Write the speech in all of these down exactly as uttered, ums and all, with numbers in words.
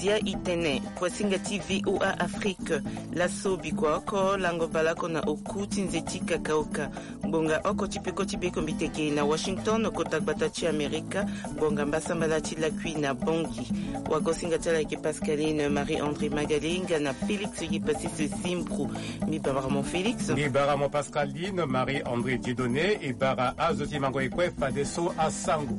Zia i tene, kuasinga ti V O A Afrique, laso bikua oko lango baleoko na oku ti nze ti kakaoka. Ngbonga oko ti peko ti bekombiteke na Washington, kota gbata ti Amerika, ngbonga mbasambala ti lakui na Bangui. Wagosinga ti ala ayeke Pascaline Marie-André Magali nga na Félix Yipassis Zimbru. Mbi bara mo Félix. Mbi bara mo Pascaline Marie-André Dieudonné, e bara azo ti mango e kue fadeso asango.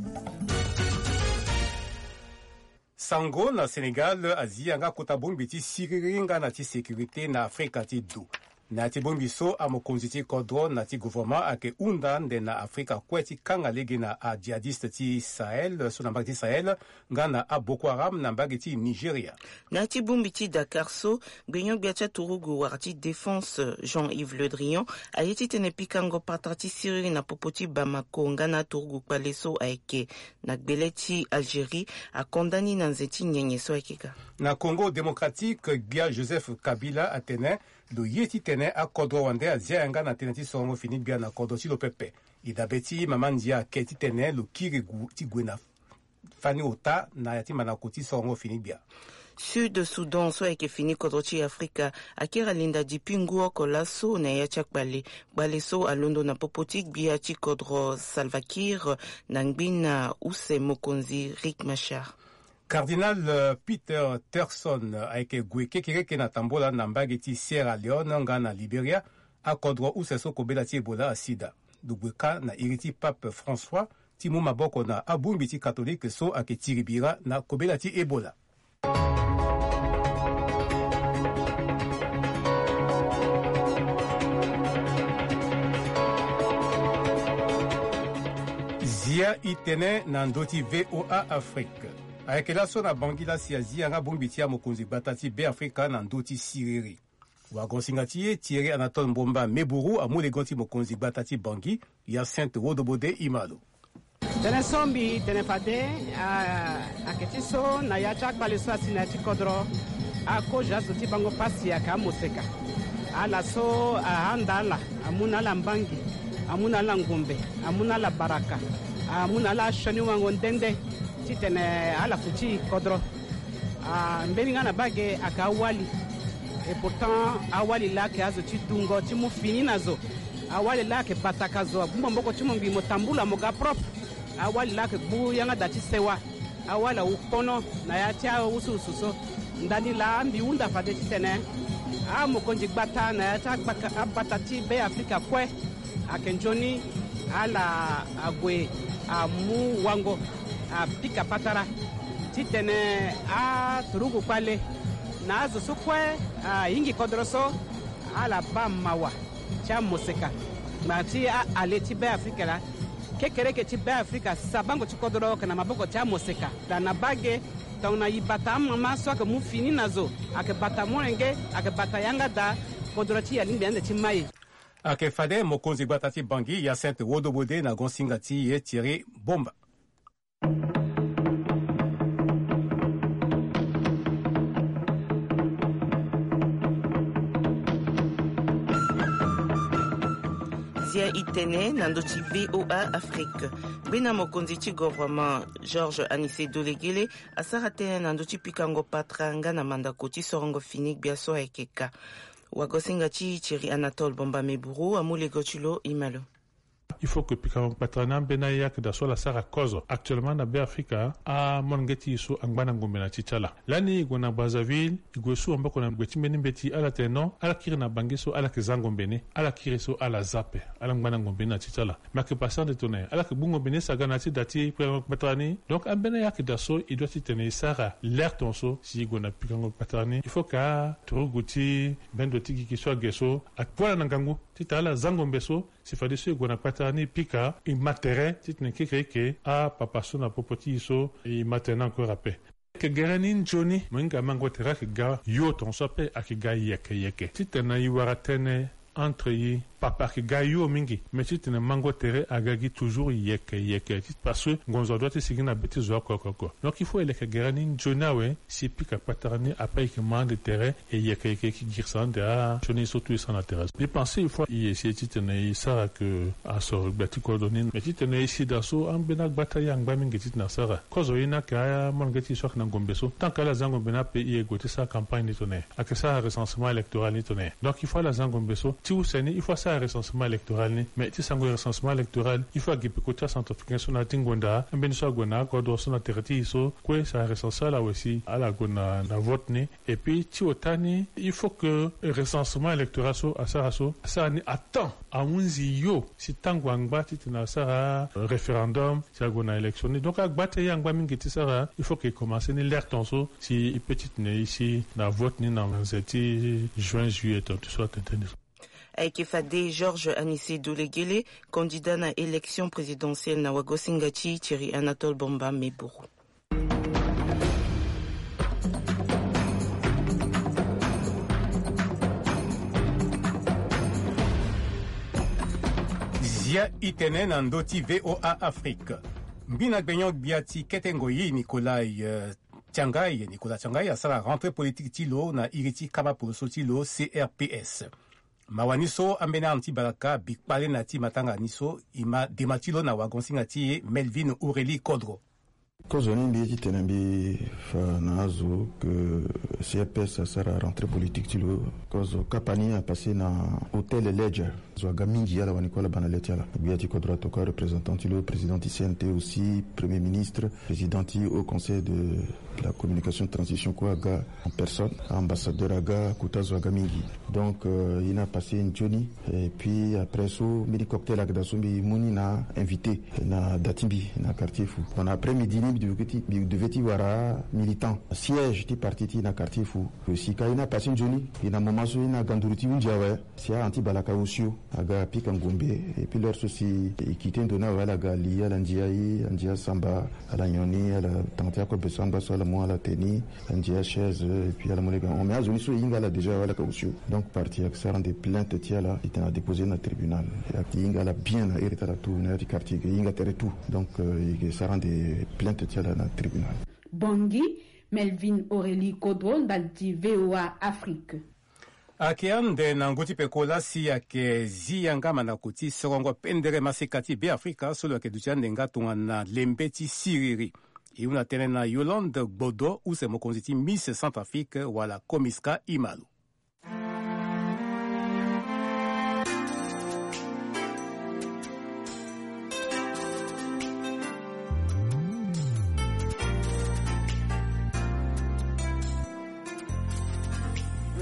Sango na Sénégal azi yanga kota bongbi ti siriri nga na ti sécurité na Afrika ti do. Na ya ti bongbi so amokonzi ti kodro na ti gouvernement ayeke hunda nde na Afrika kue ti kanga lege na ajihadiste ti Sahel so na mbage ti Sahel nga na aBoko Haram na mbage ti Nigeria. Na ya ti bongbi ti Dakar so, gbenyo-gbia ti aturugu wara ti défense Jean-Yves Le Drian aye titene pikango patara ti siriri na popo ti Bamako nga na aturugu kpale so ayeke na gbele ti Algérie akonda ni na nze ti nyenye so ayeke ga. Na Congo Démocratique, gbia Joseph Kabila atene lo ye titene akodro wande azia yanga na tënë ti sorongo fini gbia na kodro ti lo pepe. E dabe ti mama ndia ake titene lo kiri gu ti gue na fani ota na ya ti mandako ti sorongo fini gbia. Sud Soudan so ayeke fini kodro ti Afrika akiri alinda dipi ngu oko laso na ya ti akpale. Kpale so alondo na popo ti gbia ti kodro Salva Kiir na ngbina use mokonzi Riek Machar. Cardinal, euh, Peter Turkson, euh, ayeke gue kekereke na tambola na mbage ti Sierra Leone nga na Liberia, akodro use so kobela ti Ebola asi daa. Lo gue kâ na iri ti Pape François ti mu maboko na abongbi ti katolike so ayeke tiri bira na kobela ti Ebola. Zia i tene na ndö ti V O A Afrique. Ayeke laso na Bangui la si azi yanga bongbi ti amokonzi gbata ti Beafrika na ndö ti siriri. Wagosinga ti e Thierry Anatole Mbomba Meburu amu legon ti mokonzi gbata ti Bangui, Hyacinthe Wodobode Imalo. Tënë so mbi tene fade, a, ayeke ti so na ya ti akpale so asi na ya ti kodro, akozo azo ti bango pasi ayeke amoseka. Ala so ahanda ala, amu na ala mbangi, amu na ala ngombe, amu na ala baraka, amu na ala asioni wango nde nde titene ala futi kodro. Ah, mbeni nga na bage ayeke awali. Et pourtant, awali laa ayeke azo ti dungo ti mu fini na zo. Awali laa ayeke bataka zo, agbu maboko ti mo ngbii mo tambula mo ga propre. Awali laa ayeke gbu yanga da ti sewa. Awali awu kpono na ya ti awusuwusu so. Ndani laa mbi hunda fade titene amokonzi gbata na ya ti agbaka-, abata ti Beafrika kue. Ayeke nzoni ala ague amu wango apika patara titene aturugu kpale na azo so kue ahingi kodro so ala baa mawa ti amoseka. Ngbanga ti a-ale ti Beafrika laa, kekereke ti Beafrika sabango ti kodro ayeke na maboko ti amoseka. Da na bage, tongana e bata amama so ayeke mu fini na zo, ayeke bata molenge, ayeke bata yanga da, kodro ti e alingbi ande ti mai. Ayeke fade mokonzi gbata ti Bangui, Hyacinthe Wodobode na gonsinga ti e Thierry Bomba. Zia i tene na ndö ti V O A Afrique. Gbena mokonzi ti gouvernement Georges Anicet Dolegele asara tënë na ndö ti pikango patara nga na mandako ti sorongo fini gbia so ayeke ka. Wagosinga ti Thierry Anatole Bomba Meburu amu lego ti lo, e ma lo. Il faut que pikango patara ni ambeni ayeke daa so ala sara kozo. Actuellement na Beafrika, amolenge ti e so angba na ngombe na ti ti ala. Lani e gue na Brazzaville, e gue su maboko na gbe ti mbeni mbeti, ala tene non, ala kiri na Bangui so ala yeke za ngombe ni, ala kiri so ala za ape, ala ngba na ngombe ni na ti ti ala. Me ayeke pase ande tongana nyen? Ala yeke gbu ngombe ni saga na ya ti da ti pikango patara ni. Donc ambeni ayeke daa so e doit titene e sara alerte so si e gue na pikango patara ni. Il faut que aturugu ti bendo ti gigi so age so akpo ala na ngangu titene ala za ngombe so. Si fadeso e gue na kpatara ni e pika, e ma tere titene kekereke apapa so na popo ti e so e ma tere ni encore ape. Ayeke gere ni nzoni, mo hinga mango tere ayeke ga yo tongaso ape, ayeke ga yeke yeke. Titene e wara tënë entre e papa ayeke ga yo mingi. Mais titene mango tere aga gi toujours yeke yeke ti, parce que ngonzo adoit ti sigi na be ti zo oko oko oko. Donc il faut e leke gere ni nzoni awe si pika kpatara ni, après e yeke ma ande tere, e yeke yeke e yeke girisa ande. Ah, sioni so tout e sara na tere so. Mbi pense il faut e essayer titene e sara ke asoro gbia ti kodro ni. Mais titene e si daa so ambeni agbata ye angba mingi titene asara. Kozo ye ni ayeke amolenge ti e so ayeke na ngombe so. Tant que ala za ngombe ni ape, e gue ti sara campagne ni tongana nyen? Ayeke sara recensement électoral ni tongana nyen? Donc il faut ala za ngombe so ti use ni, il faut asara recensement électoral ni. Mais ti sango recensement électoral, il faut agi peko ti acentrafricain so na ya ti ngonda, ambeni so ague na akodro so na tere ti e so, kue sara recense ala awe si ala gue na, na vote ni. Et puis ti ota ni, il faut que recensement électoral so asara so, asara ni à temps, ahunzi yo si tango angba titene asara, euh, référendum, si ague na élection ni. Donc agbata ye angba mingi ti sara, il faut que e commencer ni l'heure ton so si e peut titene e si na vote ni na nze ti juin, juillet ton ti so atene tënë ni so. Ayeke fade Georges Anicet Dolegele, candidat na élection présidentielle na wagosinga ti Thierry Anatole Bamba Meburu. Zia itene na ndö ti V O A Afrique. Mbi na gbenyo-gbia ti kete ngoi Nicolas, euh, Tiangai, Nicolas Tiangai asara rentrée politique ti lo na iri ti kama poroso ti lo C R P S. Mawa ni so ambeni arme ti baraka bi kpale na ya ti matanga ni so, e ma dema ti lo na wagon-singa ti e Melvin Aurélie Kodro. Kozo ni mbi ye titene mbi fa na azo ke C R P S asara rentrée politique ti lo. Kozo kapa ni apase na Hôtel Ledger. Zo aga mingi ala wani kue ala baa na le ti ala. Gbia ti kodro atokua représentant ti lo, président ti C N T aussi, premier ministre, président ti Haut Conseil de la communication transition kue aga en personne, ambassadeur aga, kota zo aga mingi. Donc, euh, e na passé nzoni, et puis après so mbeni cocktail ayeke daa so mbi mu ni na invité na da ti mbi na quartier Fou. Bon, na après midi ni mbi devait ti, mbi devait ti wara militant siège ti parti ti e na quartier Fou. Lo si ka e na passé nzoni, e na moment so e na ga nduru ti hunzi awe. Si a-anti Balaka osio aga pika ngombe, et puis l'heure so si e quitté ndo ni awe, ala ga li, ala ndia e, andia samba, ala nyon ni, ala tanga ti akobe so angba so ala mu ala te ni, andia chaise, et puis ala mu lege ahon. Mais azo ni so e hinga ala déjà awe, ala ga osio. Donc parti ayeke sara ande plainte ti ala, e tene adéposé na tribunal. E hinga ala bien na iri ti ala tout, na ya ti quartier, e hinga tere tout. Donc, euh, e yeke sara ande plainte ti ala na tribunal. Bongi, Melvin Aurélie Kodro, ndali ti V O A Afrique. Ayeke ande na ngu ti peko laa si ayeke zi yanga mandako ti sorongo pendere masika ti Beafrika so lo yeke duti ande nga tongana lembe ti siriri. E hunda tënë na Yolande Gbodo, use mokonzi ti Miss Centrafrique wala Comisca, e ma lo.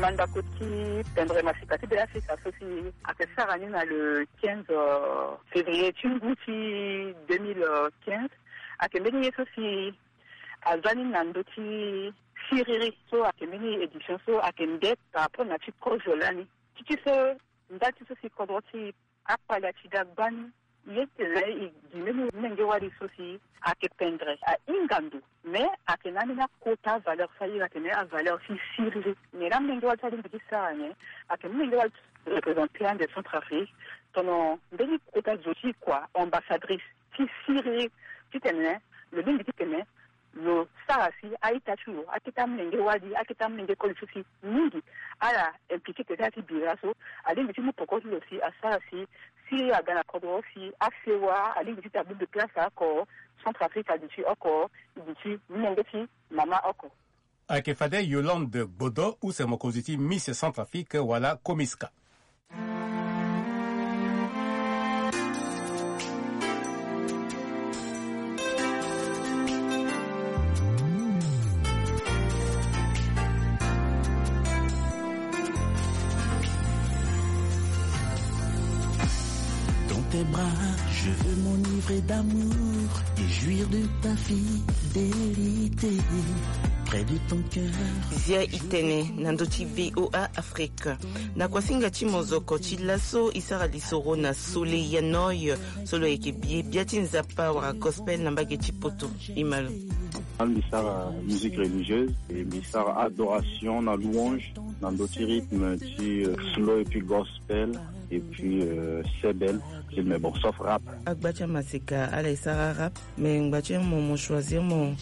Mandako ti pendere masika ti Beafrika so si ayeke sara ni na le quinze, euh, février ti ngu ti deux mille quinze, ayeke mbeni ye so si aza ni na ndö ti siriri so ayeke mbeni édition so ayeke nde par rapport na ti kozo lani. Ti ti so nda ti so si kodro ti akpale ati ga gbani. Ye tene e gi mbeni menge wali so si ayeke pendere, ahinga ndo, mais ayeke na ambeni akota valeur so ahinga tene avaleur ti siriri. Mais na menge wali so alingbi ti sara nyen? Ayeke menge wali ti représenter ande Centrafrique, tono mbeni kota zo ti kua ambassadrice ti siriri, titene lo lingbi titene lo sara si a-ita ti lo, akete amolenge wali, akete amolenge koli so si mingi ala impliqué tene ti ala ti bira so, alingbi ti mu poko ti lo si asara si, si aga na kodro si asewa, alingbi ti tene abongbi place oko, Centrafrique aduti oko, e duti molenge ti mama oko. Ayeke fade Yolande Gbodo, use mokonzi ti Miss Centrafrique wala Comisca. Dans tes bras, je veux m'enivrer d'amour et jouir de ta fidélité. Près de ton cœur. Zia itene na ndö ti V O A Afrique. Na kuasinga ti mozoko ti laso, e sara lisoro na Soleil ya Noi, so lo yeke bie bia ti Nzapa wala gospel na mbage ti poto. E ma lo. Mbi sara musique religieuse et mbi sara adoration na louange na ndö ti rythme ti, euh, slow et puis gospel et puis, euh, sebel. Mais bon, sauf rap. Agba ti amaseka ala e sara rap. Mais ngba ti mo, mo choisir mo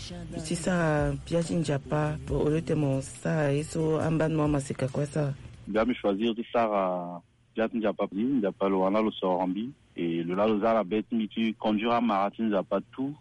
ti sara bia ti nzapa, au lieu ti mo sara ye so ambani mo amaseka kue asara. Bia mbi choisir ti sara bia ti nzapa, nzapa lo wara na lo soro mbi. Et lo laa lo za na be ti mbi ti conduire amara ti nzapa tout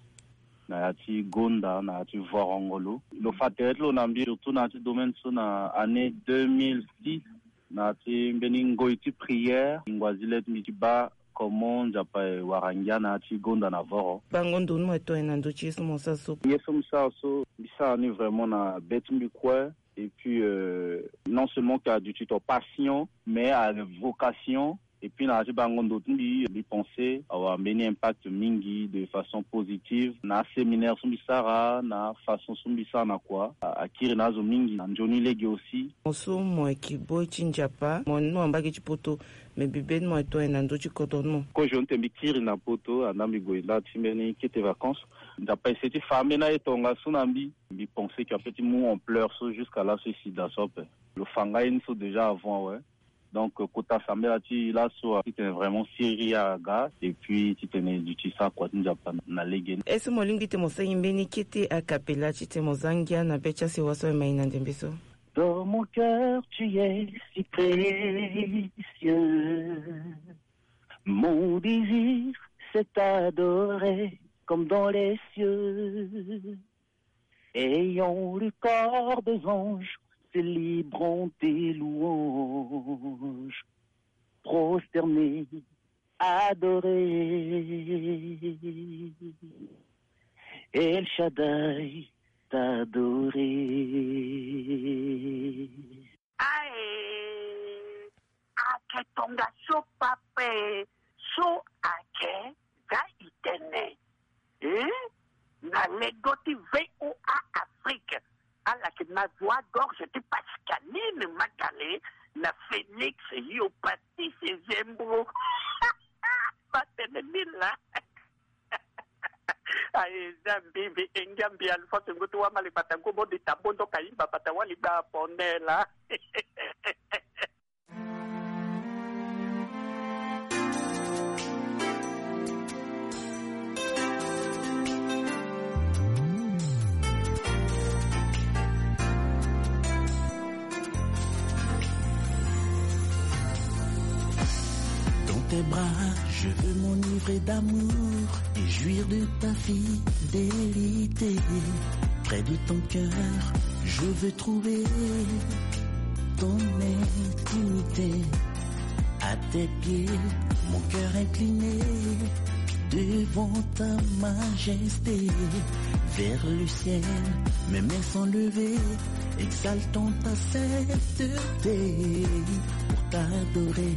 na ya ti gonda, na ya ti vorongo lo. Lo fa tere ti lo na mbi, surtout na ya ti domaine so na année deux mille six, na ya ti mbeni ngoi ti prière. Ngingo azi le ti mbi ti baa comment nzapa e wara ngia na ya ti gonda na voro. Bango ndo ni mo e tongana na ndö ti ye so mo sara so? Ye so mbi sara so, mbi sara ni vraiment na be ti mbi kue. Et puis, euh, non seulement que aduti to passion, mais a vocation. Et puis na ya ti bango ndo ti mbi, mbi pense awara mbeni impact mingi de façon positive na aséminaire so mbi sara, na afaçon so mbi sara na kua. A, akiri na azo mingi na nzoni lege aussi. Mo so mo yeke boi ti nzapa, mo ni mo na mbage ti poto, me bibe ni mo e tongana na ndö ti kodro ni mo. Kozo ni te mbi kiri na poto, andaa mbi gue nda ti mbeni kete vacances. Nzapa ese ti fa ambeni aye tongaso na mbi. Mbi pense que ape ti mu ampleur so jusqu'à là so e si daa so ape. Lo fa nga ye ni so déjà avant awe. Donc, euh, kota sambela ti laso, euh, titene vraiment siriri aga, et puis titene duti sara kua ti nzapa na lege. Est-ce que mo lingbi ti mo sara mbeni kete a cappella titene mo za ngia na be ti asewa so aye mai na ndembe so? Dans mon cœur, tu es si précieux. Mon désir, c'est t'adorer comme dans les cieux. Ayant le corps des anges, célébrant tes louanges, prosternés, adorés, El Shaddai, t'adorer. Aye, ake tongaso pape, so ake ga itene. Eh? Na lego ti V O A Afrique, ala yeke na voix gorge ti Pascaline Magale na Félix Yopatisi Zembro. Batene ni laa. Aye, za mbi, mbi engia mbi Alphonse Ngutu Wamale bata gobo di ta bondo ka imba bata wali gba pone laa. Dans tes bras, je veux m'enivrer d'amour et jouir de ta fidélité. Près de ton cœur, je veux trouver ton intimité. À tes pieds, mon cœur incliné devant ta majesté. Vers le ciel, mes mains sont levées, exaltant ta sainteté. Pour t'adorer,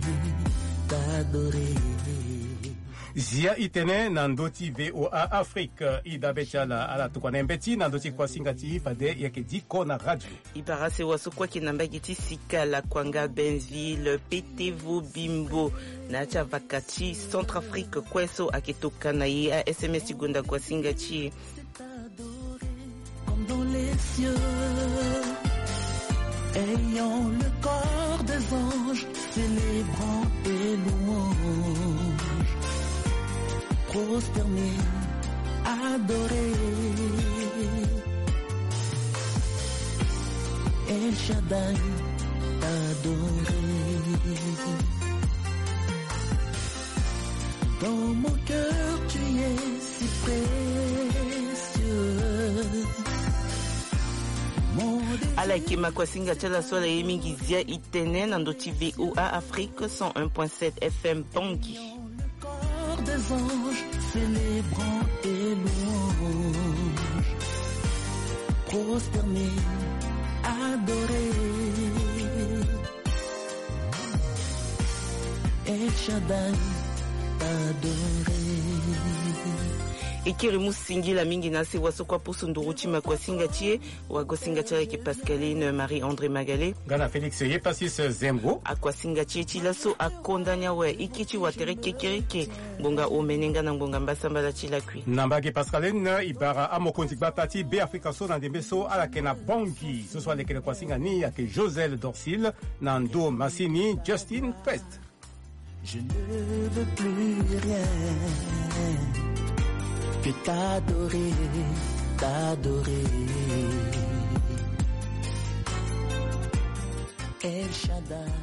t'adorer. Zia itene na ndö ti V O A Afrique, e dabe ti ala, ala tokua na e mbeti na ndö ti kuasinga ti fade e yeke diko na radio. E bara sewa so kue ayeke na mbage ti sika, Lakuanga, Benville, Petevo, Bimbo, na ya ti avaka ti Centrafrique kue so ayeke tokua na e a S M S ti gonda kuasinga ti e. Comme dans les cieux, ayant le corps des anges, célébrant tes louanges, prosternés, adorés. El Shaddai, t'adorer. Dans mon cœur, tu es si précieux. Ala yeke ma kuasinga ti ala so ala ye mingi, Zia itene na ndö ti V O A Afrique cent un point sept F M Bangui. Le corps des anges célébrant tes louanges, prosternés, adorés. El Shaddai, t'adorer. E kiri mu singila mingi na se wa so kua pusu nduru ti me akuasinga ti e. Wa gosinga ti ala yeke Pascaline Marie André Magale. Nga na Félix Yepasis Zembo. Akuasinga ti e ti laso akonda ni awe iki ti watere kekereke. Ngbonga omene nga na ngbonga mbasambala ti lakui. Na mbage Pascaline, e bara amokonzi gbata ti Beafrika so na ndembe so ala yeke na Bangui. So so alekere kuasinga ni ayeke Josel Dorcil na ndo masini Justin Quest. Je ne veux plus rien que t'adorer, t'adorer. El Shaddai.